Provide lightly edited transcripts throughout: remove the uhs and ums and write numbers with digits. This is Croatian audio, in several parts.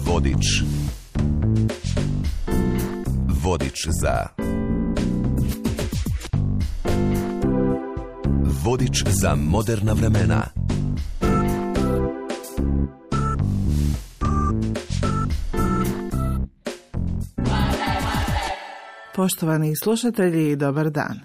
Vodič. Vodič za... Vodič za moderna vremena. Poštovani slušatelji, dobar dan.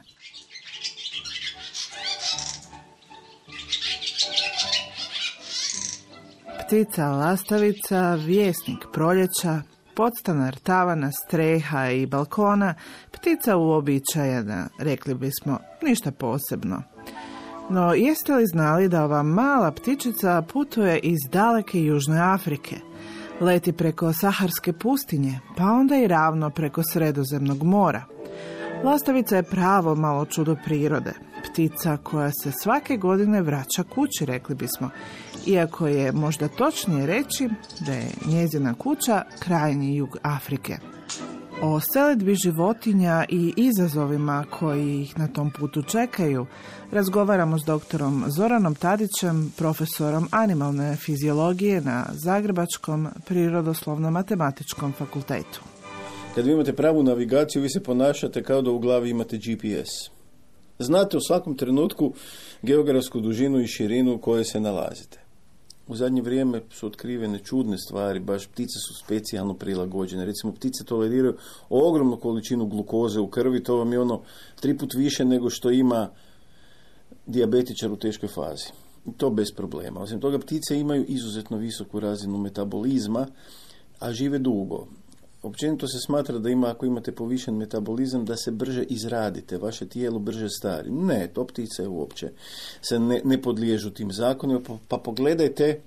Ptica lastavica, vjesnik proljeća, podstanar tavana, streha i balkona, ptica uobičajena, rekli bismo, ništa posebno. No, jeste li znali da ova mala ptičica putuje iz daleke Južne Afrike? Leti preko Saharske pustinje, pa onda i ravno preko Sredozemnog mora. Lastavica je pravo malo čudo prirode. Ptica koja se svake godine vraća kući, rekli bismo. Iako je možda točnije reći da je njezina kuća krajnji jug Afrike. O selidbi životinja i izazovima koji ih na tom putu čekaju razgovaramo s doktorom Zoranom Tadićem, profesorom animalne fiziologije na Zagrebačkom prirodoslovno-matematičkom fakultetu. Kad vi imate pravu navigaciju, vi se ponašate kao da u glavi imate GPS. Znate u svakom trenutku geografsku dužinu i širinu u kojoj se nalazite. U zadnje vrijeme su otkrivene čudne stvari, baš ptice su specijalno prilagođene. Recimo, ptice toleriraju ogromnu količinu glukoze u krvi, to vam je 3 puta više nego što ima dijabetičar u teškoj fazi. I to bez problema. Osim toga, ptice imaju izuzetno visoku razinu metabolizma, a žive dugo. Općenito se smatra da ako imate povišen metabolizam, da se brže izradite, vaše tijelo brže stari. Ne, to ptice uopće se ne podliježu tim zakonima, pa pogledajte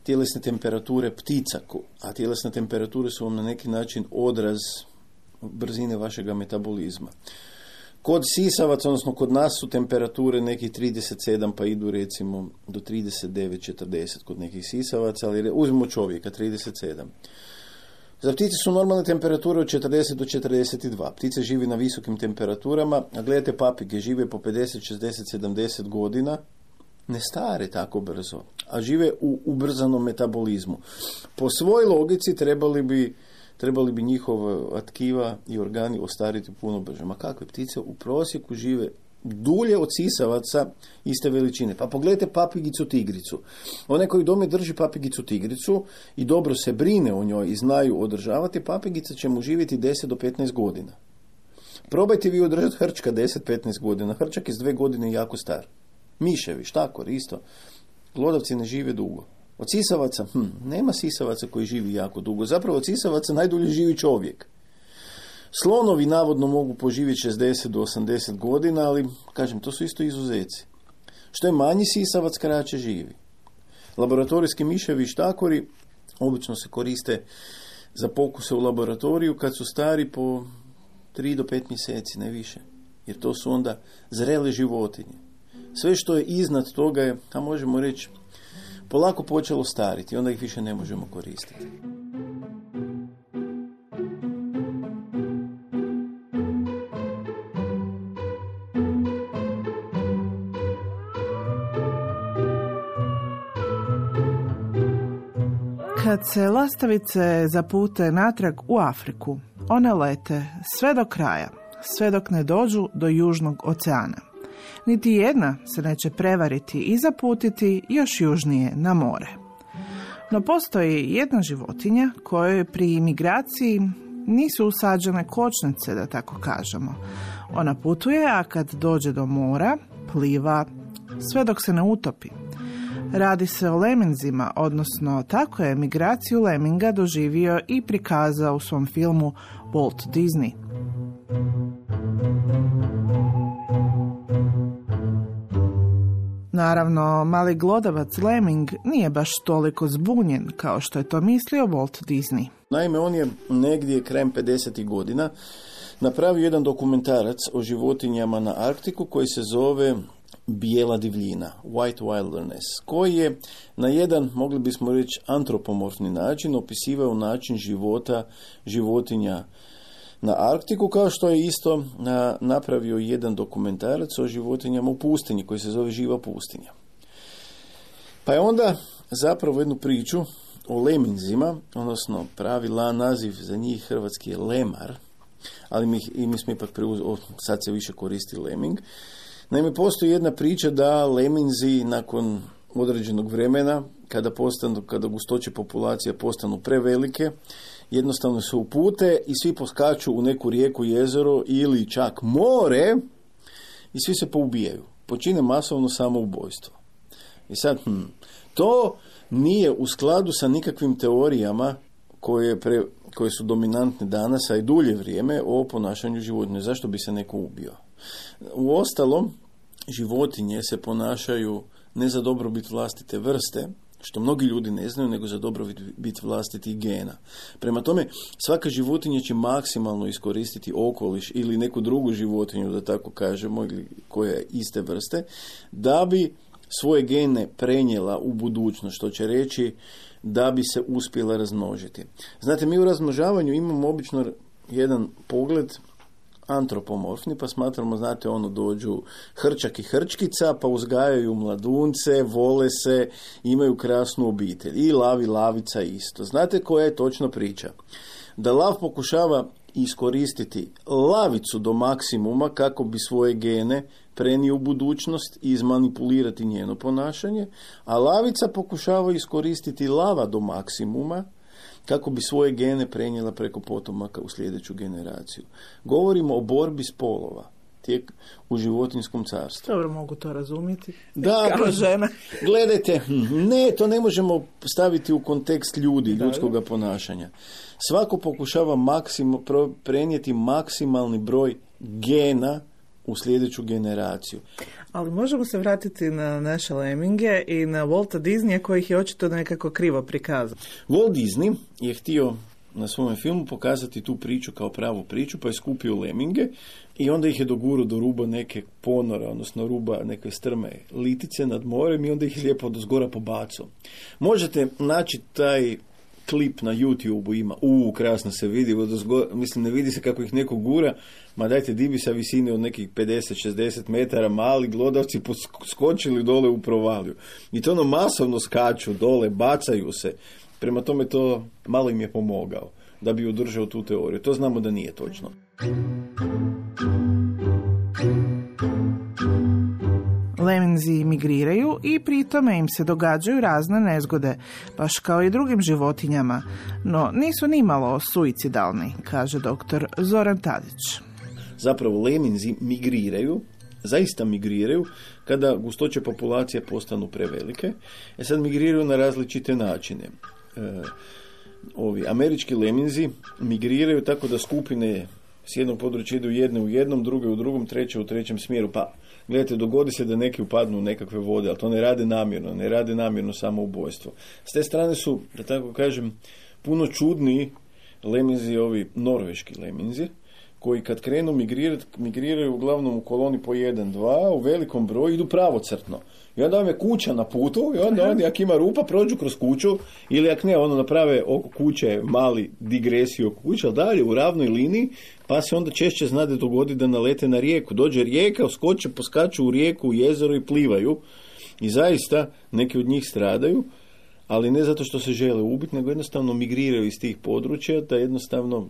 tjelesne temperature ptica, a tjelesne temperature su vam na neki način odraz brzine vašega metabolizma. Kod sisavaca, odnosno kod nas su temperature nekih 37, pa idu recimo do 39-40 kod nekih sisavaca, ali uzmimo čovjeka, 37. Za ptice su normalne temperature od 40 do 42. Ptice živi na visokim temperaturama, a gledajte papige, žive po 50, 60, 70 godina, ne stare tako brzo, a žive u ubrzanom metabolizmu. Po svojoj logici trebali bi njihova tkiva i organi ostariti puno brže. Ma kakve ptice u prosjeku žive dulje od sisavaca iste veličine. Pa pogledajte papigicu tigricu. Onaj koji doma drži papigicu tigricu i dobro se brine o njoj i znaju održavati, papigica će mu živjeti 10 do 15 godina. Probajte vi održati hrčka 10-15 godina. Hrčak iz 2 godine je jako star. Miševi, štakor, isto. Glodavci ne žive dugo. Od sisavaca, nema sisavaca koji živi jako dugo. Zapravo od sisavaca najdulje živi čovjek. Slonovi navodno mogu poživjeti 60 do 80 godina, ali, kažem, to su isto izuzeci. Što je manji sisavac, kraće živi. Laboratorijski miševi i štakori obično se koriste za pokuse u laboratoriju kad su stari po 3 do 5 mjeseci, ne više. Jer to su onda zrele životinje. Sve što je iznad toga je, a možemo reći, polako počelo stariti, onda ih više ne možemo koristiti. Kad se lastavice zapute natrag u Afriku, one lete sve do kraja, sve dok ne dođu do Južnog oceana. Niti jedna se neće prevariti i zaputiti još južnije na more. No postoji jedna životinja kojoj pri migraciji nisu usađene kočnice, da tako kažemo. Ona putuje, a kad dođe do mora, pliva sve dok se ne utopi. Radi se o leminzima, odnosno tako je migraciju leminga doživio i prikazao u svom filmu Walt Disney. Naravno, mali glodavac lemming nije baš toliko zbunjen kao što je to mislio Walt Disney. Naime, on je negdje krajem 50. godina napravio jedan dokumentarac o životinjama na Arktiku koji se zove Bijela divljina, White Wilderness, koji je na jedan, mogli bismo reći, antropomorfni način opisivao način života životinja na Arktiku, kao što je isto napravio jedan dokumentarac o životinjama u pustinji koji se zove Živa pustinja. Pa je onda zapravo jednu priču o leminzima, odnosno pravi naziv za njih hrvatski je lemar, ali mi smo ipak sad se više koristi leming. Naime, postoji jedna priča da leminzi nakon određenog vremena, kada gustoće populacija postanu prevelike, jednostavno se upute i svi poskaču u neku rijeku, jezero ili čak more i svi se poubijaju. Počine masovno samoubojstvo. I sad, to nije u skladu sa nikakvim teorijama koje su dominantne danas, a i dulje vrijeme, o ponašanju životinja. Zašto bi se neko ubio? Uostalom, životinje se ponašaju ne za dobrobit vlastite vrste, što mnogi ljudi ne znaju, nego za dobrobit vlastitih gena. Prema tome, svaka životinja će maksimalno iskoristiti okoliš ili neku drugu životinju, da tako kažemo, ili koja je iste vrste, da bi svoje gene prenijela u budućnost, što će reći da bi se uspjela razmnožiti. Znate, mi u razmnožavanju imamo obično jedan pogled antropomorfni, pa smatramo, znate, dođu hrčak i hrčkica, pa uzgajaju mladunce, vole se, imaju krasnu obitelj. I lav i lavica isto. Znate koja je točno priča? Da lav pokušava iskoristiti lavicu do maksimuma kako bi svoje gene prenio u budućnost i izmanipulirati njeno ponašanje, a lavica pokušava iskoristiti lava do maksimuma kako bi svoje gene prenijela preko potomaka u sljedeću generaciju. Govorimo o borbi spolova u životinjskom carstvu. Dobro, mogu to razumjeti. Da, kao žena. Gledajte, ne, to ne možemo staviti u kontekst ljudskog ponašanja. Svako pokušava prenijeti maksimalni broj gena u sljedeću generaciju. Ali možemo se vratiti na naše leminge i na Walta Disneya koji ih je očito nekako krivo prikazao. Walt Disney je htio na svom filmu pokazati tu priču kao pravu priču, pa je skupio leminge i onda ih je dogurao do ruba neke ponora, odnosno ruba neke strme litice nad morem i onda ih lijepo dozgora pobacao. Možete naći taj klip na YouTube-u, ima, krasno se vidi, mislim, ne vidi se kako ih neko gura, ma dajte, dibi sa visine od nekih 50-60 metara, mali glodavci skočili dole u provaliju. I to masovno skaču dole, bacaju se. Prema tome to malo im je pomogao da bi održao tu teoriju. To znamo da nije točno. Leminzi migriraju i pri tome im se događaju razne nezgode, baš kao i drugim životinjama, no nisu nimalo suicidalni, kaže doktor Zoran Tadić. Zapravo leminzi zaista migriraju kada gustoće populacije postanu prevelike. Sad migriraju na različite načine. Američki leminzi migriraju tako da skupine s jednog područja idu jedne u jednom, druge u drugom, treće u trećem smjeru. Pa, gledajte, dogodi se da neki upadnu u nekakve vode, ali to ne rade namjerno samoubojstvo. S te strane su, da tako kažem, puno čudniji leminzi, ovi norveški leminzi, koji kad krenu migriraju uglavnom u koloni po 1-2, u velikom broju, idu pravocrtno. I onda vam je kuća na putu, i onda oni, ako ima rupa, prođu kroz kuću, ili ako ne, naprave oko kuće mali digresiju oko kuće, ali dalje u ravnoj liniji, pa se onda češće zna da dogodi da nalete na rijeku. Dođe rijeka, poskaču u rijeku, u jezero i plivaju. I zaista, neki od njih stradaju, ali ne zato što se žele ubiti, nego jednostavno migriraju iz tih područja, da jednostavno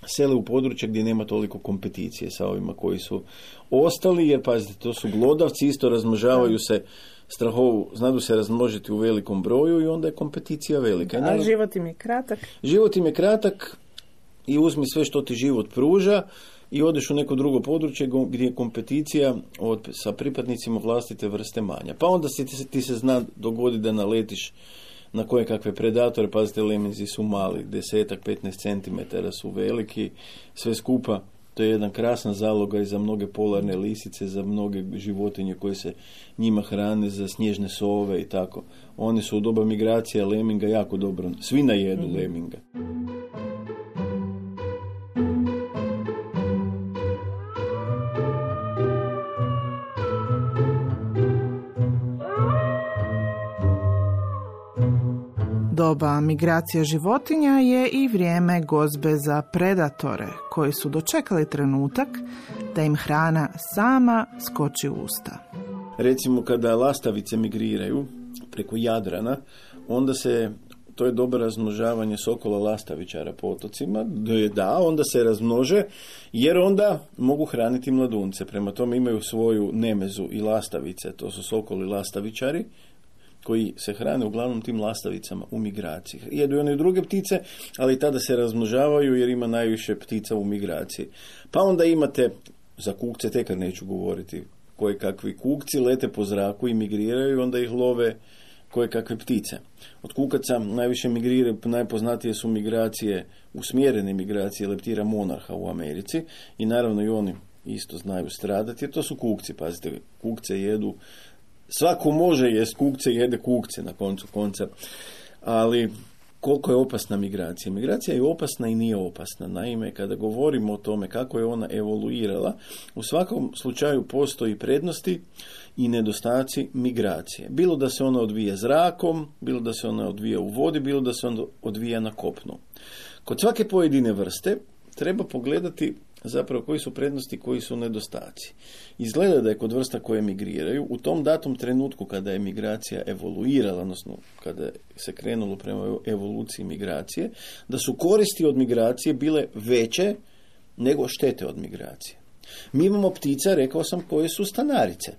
sele u područje gdje nema toliko kompeticije sa ovima koji su ostali, jer pazite, to su glodavci, isto razmnožavaju se znadu se razmnožiti u velikom broju i onda je kompeticija velika. A život im je kratak? Život im je kratak i uzmi sve što ti život pruža i odeš u neko drugo područje gdje je kompeticija sa pripadnicima vlastite vrste manja. Pa onda ti se zna dogoditi da naletiš na koje kakve predatore, pazite, leminzi su mali, 10-15 cm su veliki, sve skupa, to je jedan krasan zalogaj i za mnoge polarne lisice, za mnoge životinje koje se njima hrane, za snježne sove i tako. Oni su u doba migracija leminga jako dobro, svi najedu leminga. Doba migracija životinja je i vrijeme gozbe za predatore, koji su dočekali trenutak da im hrana sama skoči u usta. Recimo kada lastavice migriraju, preko Jadrana, onda to je dobro razmnožavanje sokola lastavičara po otocima, onda se razmnože, jer onda mogu hraniti mladunce. Prema tome imaju svoju nemezu i lastavice, to su sokoli lastavičari, koji se hrane uglavnom tim lastavicama u migraciji. Jedu i one druge ptice, ali tada se razmnožavaju jer ima najviše ptica u migraciji. Pa onda imate, za kukce tekar neću govoriti, koje kakvi kukci lete po zraku i migriraju, onda ih love koje kakve ptice. Od kukaca najviše migriraju, najpoznatije su migracije, usmjerene migracije leptira monarha u Americi i naravno i oni isto znaju stradati, jer to su kukci, pazite, kukce jedu, svako može jest kukce, jede kukce na koncu konca, ali koliko je opasna migracija? Migracija je opasna i nije opasna. Naime, kada govorimo o tome kako je ona evoluirala, u svakom slučaju postoji prednosti i nedostaci migracije. Bilo da se ona odvija zrakom, bilo da se ona odvija u vodi, bilo da se ona odvija na kopnu. Kod svake pojedine vrste treba pogledati zapravo koji su prednosti, koji su nedostaci. Izgleda da je kod vrsta koje migriraju, u tom datom trenutku kada je migracija evoluirala, odnosno kada se krenulo prema evoluciji migracije, da su koristi od migracije bile veće nego štete od migracije. Mi imamo ptica, rekao sam, koje su stanarice.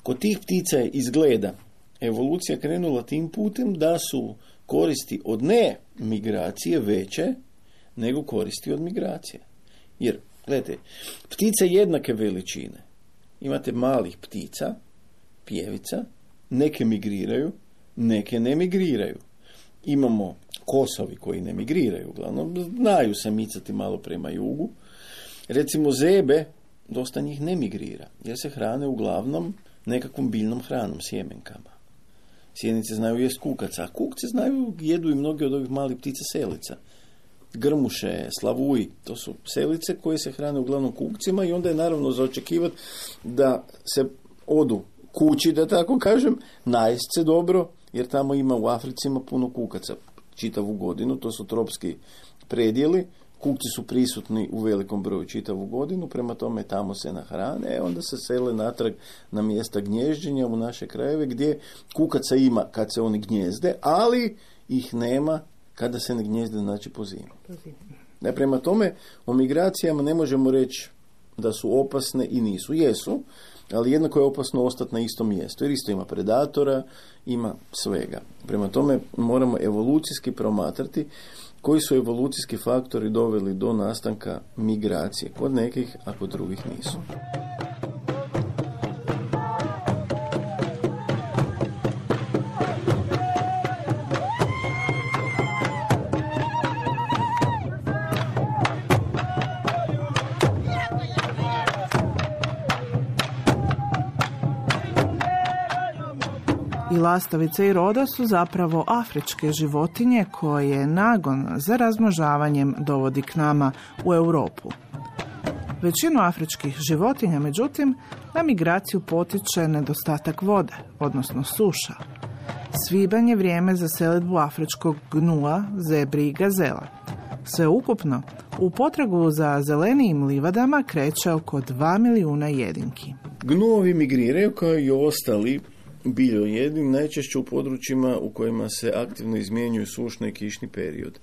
Kod tih ptica je izgleda evolucija krenula tim putem da su koristi od ne migracije veće nego koristi od migracije. Jer, gledajte, ptice jednake veličine. Imate malih ptica, pjevica, neke migriraju, neke ne migriraju. Imamo kosovi koji ne migriraju, uglavnom znaju se micati malo prema jugu. Recimo zebe, dosta njih ne migrira, jer se hrane uglavnom nekakvom biljnom hranom, sjemenkama. Sjenice znaju jest kukaca, a kukce znaju, jedu i mnogi od ovih malih ptica selica. Grmuše, slavuji, to su selice koje se hrane uglavnom kukcima i onda je naravno za očekivati da se odu kući, da tako kažem, najest se dobro, jer tamo ima u Africi ima puno kukaca čitavu godinu, to su tropski predjeli, kukci su prisutni u velikom broju čitavu godinu, prema tome tamo se nahrane, onda se sele natrag na mjesta gnježđenja u naše krajeve gdje kukaca ima kad se oni gnjezde, ali ih nema kada se ne gnjezde, znači po zimi. Prema tome, o migracijama ne možemo reći da su opasne i nisu. Jesu, ali jednako je opasno ostati na istom mjestu, jer isto ima predatora, ima svega. Prema tome, moramo evolucijski promatrati koji su evolucijski faktori doveli do nastanka migracije. Kod nekih, a kod drugih nisu. I lastavice i roda su zapravo afričke životinje koje nagon za razmnožavanjem dovodi k nama u Europu. Većinu afričkih životinja, međutim, na migraciju potiče nedostatak vode, odnosno suša. Svibanj je vrijeme za selidbu afričkog gnua, zebri i gazela. Sve ukupno, u potragu za zelenijim livadama kreće oko 2 milijuna jedinki. Gnuovi migriraju kao i ostali biljojedi, najčešće u područjima u kojima se aktivno izmjenjuju sušni i kišni period.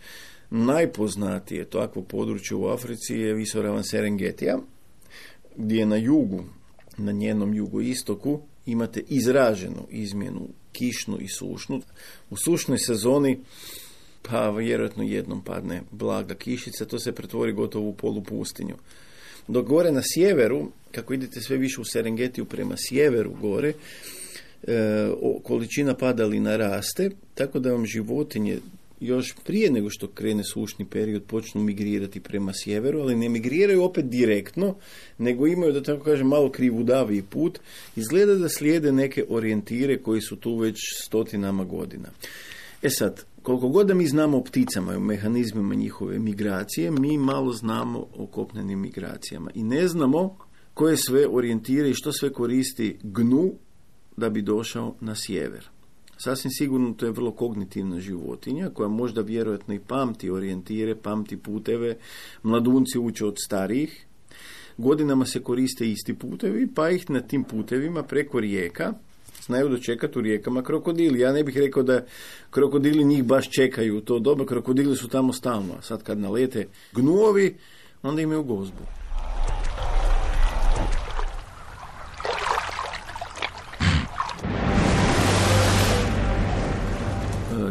Najpoznatije takvo područje u Africi je visoravan Serengetija, gdje na jugu, na njenom jugoistoku, imate izraženu izmjenu kišnu i sušnu. U sušnoj sezoni pa vjerojatno jednom padne blaga kišica, to se pretvori gotovo u polupustinju. Dok gore na sjeveru, kako idete sve više u Serengetiju prema sjeveru gore, količina padalina raste, tako da vam životinje još prije nego što krene sušni period počnu migrirati prema sjeveru, ali ne migriraju opet direktno, nego imaju, da tako kažem, malo krivudaviji put. Izgleda da slijede neke orijentire koji su tu već stotinama godina. Sad, koliko god da mi znamo o pticama i o mehanizmima njihove migracije, mi malo znamo o kopnenim migracijama i ne znamo koje sve orijentire i što sve koristi gnu da bi došao na sjever. Sasvim sigurno to je vrlo kognitivna životinja koja možda vjerojatno i pamti orijentire, pamti puteve. Mladunci uče od starijih. Godinama se koriste isti putevi, pa ih na tim putevima preko rijeka znaju dočekati u rijekama krokodili. Ja ne bih rekao da krokodili njih baš čekaju u to doba, krokodili su tamo stalno. A sad kad nalete gnuovi, onda imaju gozbu.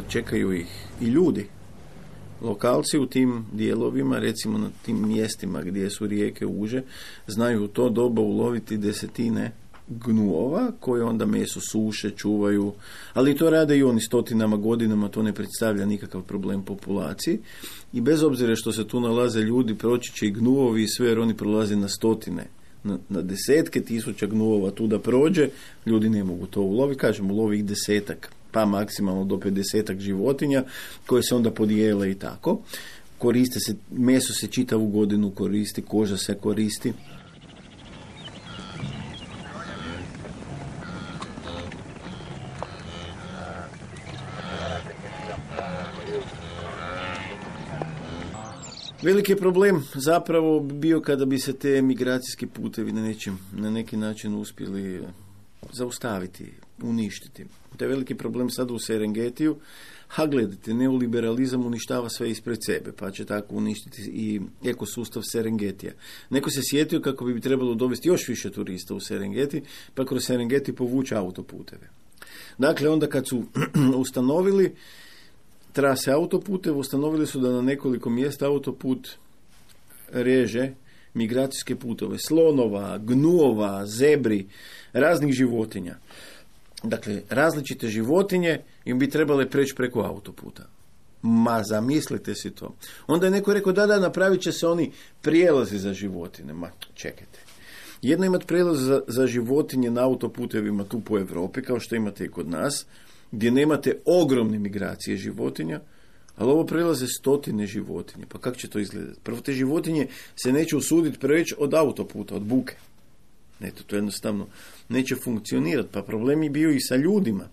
Čekaju ih i ljudi. Lokalci u tim dijelovima, recimo na tim mjestima gdje su rijeke uže, znaju u to doba uloviti desetine gnuova koje onda meso suše, čuvaju, ali to rade i oni stotinama godinama, to ne predstavlja nikakav problem populaciji i bez obzira što se tu nalaze ljudi, proći će i gnuovi i sve, jer oni prolaze na stotine, na desetke tisuća gnuova tu da prođe, ljudi ne mogu to uloviti, kažem ulovi ih desetak, pa maksimalno do 50 životinja koje se onda podijele i tako. Koriste se, meso se čitavu godinu koristi, koža se koristi. Veliki problem zapravo bio kada bi se te migracijski putevi na neki način uspjeli zaustaviti, uništiti. To je veliki problem sad u Serengetiju. A gledajte, neoliberalizam uništava sve ispred sebe, pa će tako uništiti i ekosustav Serengetija. Neko se sjetio kako bi trebalo dovesti još više turista u Serengeti, pa kroz Serengeti povući autoputeve. Dakle, onda kad su ustanovili trase autoputeva, ustanovili su da na nekoliko mjesta autoput reže migracijske putove, slonova, gnuova, zebri, raznih životinja. Dakle, različite životinje im bi trebale preći preko autoputa. Ma, zamislite si to. Onda je neko rekao, da, napravit će se oni prijelazi za životinje. Ma, čekajte. Jedno imati prijelaz za životinje na autoputevima tu po Europi, kao što imate i kod nas, gdje nemate ogromne migracije životinja, ali ovo prelaze stotine životinje. Pa kako će to izgledati? Prvo, te životinje se neće usuditi preći od autoputa, od buke. Eto, to jednostavno neće funkcionirati. Pa problem je bio i sa ljudima.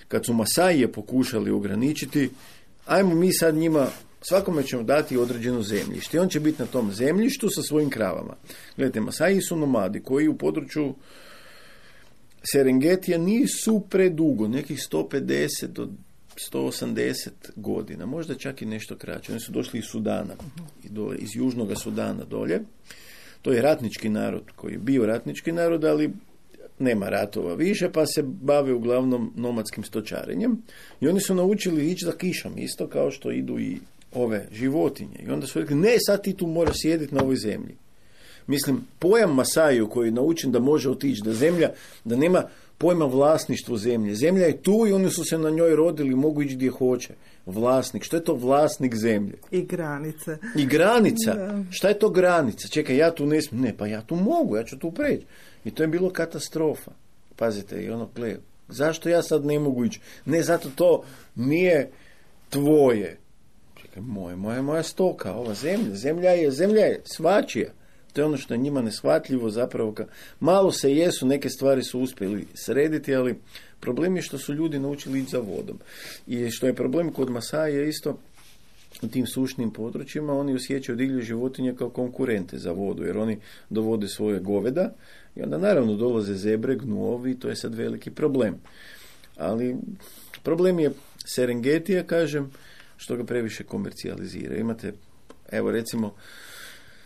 Kad su Masaije pokušali ograničiti, ajmo mi sad njima, svakome ćemo dati određeno zemljište. I on će biti na tom zemljištu sa svojim kravama. Gledajte, Masaji su nomadi koji u području Serengetija nisu predugo, nekih 150 do 180 godina, možda čak i nešto kraće. Oni su došli iz Sudana, iz Južnog Sudana dolje. To je ratnički narod koji je bio ratnički narod, ali nema ratova više, pa se bave uglavnom nomadskim stočarenjem. I oni su naučili ići za kišom, isto kao što idu i ove životinje. I onda su rekli, ne, sad ti tu moraš sjediti na ovoj zemlji. Mislim, pojam Masaju koji je naučen da može otići do zemlja, da nema pojma vlasništvo zemlje. Zemlja je tu i oni su se na njoj rodili, mogu ići gdje hoće. Vlasnik. Što je to vlasnik zemlje? I granice. I granica. Da. Šta je to granica? Čekaj, ja tu ne smijem. Ne, pa ja tu mogu, ja ću tu preći. I to je bilo katastrofa. Pazite, i ono, zašto ja sad ne mogu ići? Ne, zato to nije tvoje. Čekaj, moja stoka, ova zemlja je svačija. To je ono što je njima neshvatljivo zapravo. Malo se jesu, neke stvari su uspjeli srediti, ali problem je što su ljudi naučili ići za vodom. I što je problem kod Masaja isto, u tim sušnim područjima, oni osjećaju divlje životinje kao konkurente za vodu, jer oni dovode svoje goveda i onda naravno dolaze zebre, gnuovi, to je sad veliki problem. Ali problem je Serengetija, kažem, što ga previše komercijalizira. Imate, evo recimo,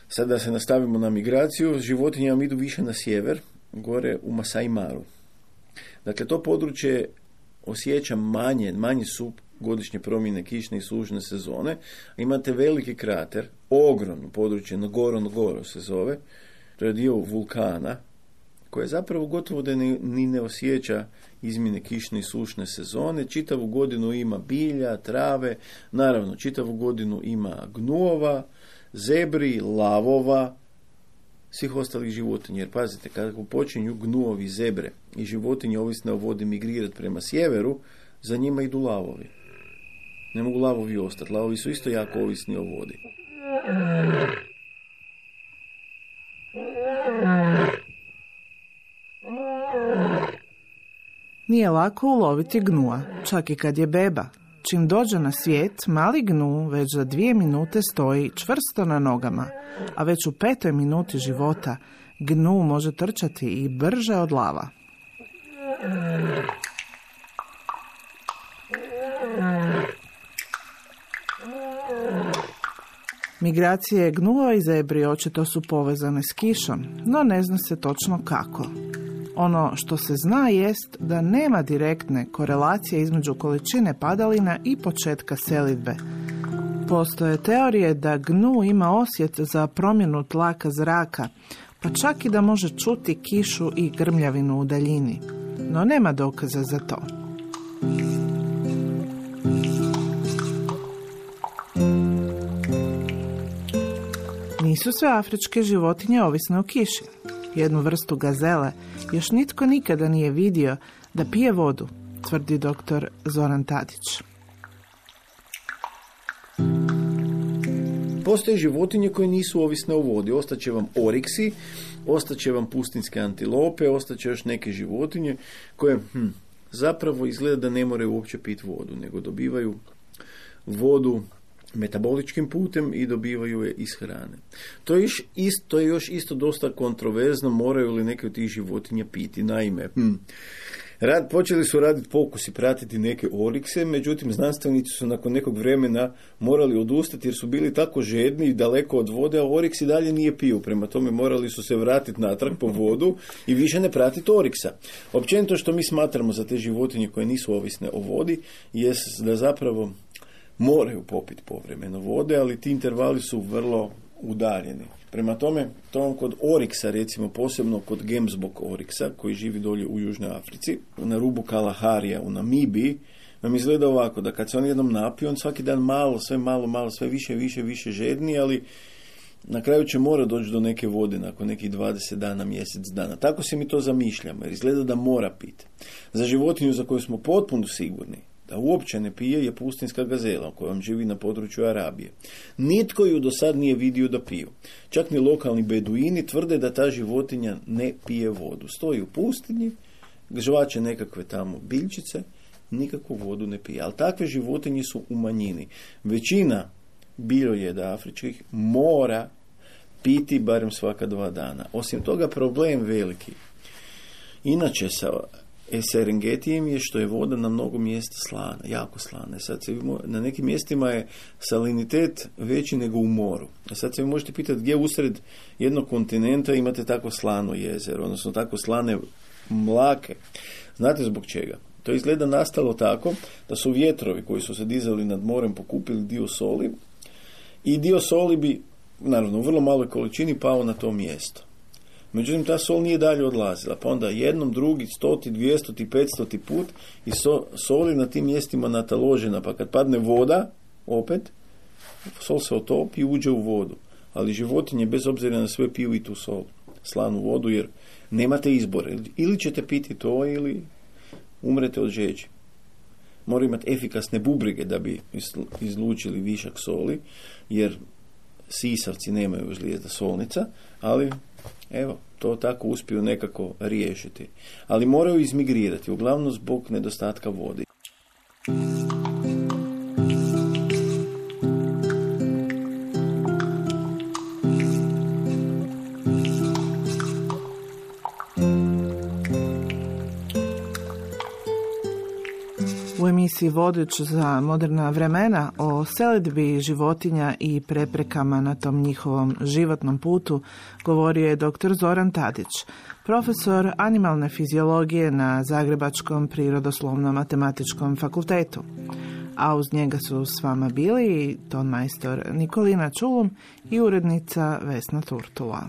sad da se nastavimo na migraciju, životinje vam idu više na sjever, gore u Masai Maru. Dakle, to područje osjeća manje su godišnje promjene kišne i sušne sezone. Imate veliki krater, ogromno područje, Ngorongoro se zove, to je dio vulkana, koje zapravo gotovo da ni ne osjeća izmjene kišne i sušne sezone. Čitavu godinu ima bilja, trave, naravno čitavu godinu ima gnuova, zebri, lavova, svih ostalih životinja. Jer pazite, kada počinju gnuovi, zebre i životinje ovisne o vodi migrirati prema sjeveru, za njima idu lavovi. Ne mogu lavovi ostati. Lavovi su isto jako ovisni o vodi. Nije lako uloviti gnua, čak i kad je beba. Čim dođe na svijet, mali gnu već za 2 minute stoji čvrsto na nogama, a već u 5. minuti života gnu može trčati i brže od lava. Migracije gnuo i zebri očito su povezane s kišom, no ne zna se točno kako. Ono što se zna jest da nema direktne korelacije između količine padalina i početka selidbe. Postoje teorije da gnu ima osjet za promjenu tlaka zraka, pa čak i da može čuti kišu i grmljavinu u daljini. No nema dokaza za to. Nisu sve afričke životinje ovisne o kiši. Jednu vrstu gazele još nitko nikada nije vidio da pije vodu, tvrdi dr. Zoran Tadić. Postoje životinje koje nisu ovisne o vodi. Ostaće vam oriksi, ostaće vam pustinske antilope, ostaće još neke životinje koje zapravo izgleda da ne moraju uopće piti vodu, nego dobivaju vodu metaboličkim putem i dobivaju je iz hrane. To je još isto dosta kontroverzno, moraju li neke od tih životinja piti. Naime, počeli su raditi pokusi, pratiti neke orikse, međutim znanstvenici su nakon nekog vremena morali odustati jer su bili tako žedni i daleko od vode, a oriks i dalje nije pio. Prema tome morali su se vratiti natrag po vodu i više ne pratiti oriksa. Općenito što mi smatramo za te životinje koje nisu ovisne o vodi jest da zapravo moraju popiti povremeno vode, ali ti intervali su vrlo udaljeni. Prema tome, to kod oriksa, recimo posebno kod gemsbok oriksa, koji živi dolje u Južnoj Africi, na rubu Kalaharija u Namibiji, nam izgleda ovako, da kad se on jednom napije, on svaki dan malo, sve više žedni, ali na kraju će mora doći do neke vode nakon nekih 20 dana, mjesec dana. Tako se mi to zamišljamo, jer izgleda da mora piti. Za životinju za koju smo potpuno sigurni da uopće ne pije je pustinska gazela koja vam živi na području Arabije. Nitko ju do sad nije vidio da piju. Čak ni lokalni beduini tvrde da ta životinja ne pije vodu. Stoji u pustinji, žvače nekakve tamo biljčice, nikakvu vodu ne pije. Ali takve životinje su u manjini. Većina biljojeda afričkih mora piti barem svaka 2 dana. Osim toga, problem veliki inače sa Serengetijem je što je voda na mnogo mjesta slana, jako slana. Sad na nekim mjestima je salinitet veći nego u moru. A sad se vi možete pitati gdje usred jednog kontinenta imate tako slano jezero, odnosno tako slane mlake. Znate zbog čega? To izgleda nastalo tako da su vjetrovi koji su se dizali nad morem pokupili dio soli i dio soli bi, naravno u vrlo maloj količini, pao na to mjesto. Međutim, ta sol nije dalje odlazila, pa onda jednom, drugi, 100, 200, 500 put i sol je na tim mjestima nataložena, pa kad padne voda, opet, sol se otopi i uđe u vodu. Ali životinje, bez obzira na sve, piju i tu sol, slanu vodu, jer nemate izbora. Ili ćete piti to, ili umrete od žeđi. Moraju imati efikasne bubrege da bi izlučili višak soli, jer sisavci nemaju žlijezda solnica, ali evo, to tako uspiju nekako riješiti. Ali moraju izmigrirati, uglavnom zbog nedostatka vode. U emisiji Vodič za moderna vremena o selidbi životinja i preprekama na tom njihovom životnom putu govorio je dr. Zoran Tadić, profesor animalne fiziologije na Zagrebačkom prirodoslovno-matematičkom fakultetu. A uz njega su s vama bili tonmajstor Nikolina Čulum i urednica Vesna Turtula.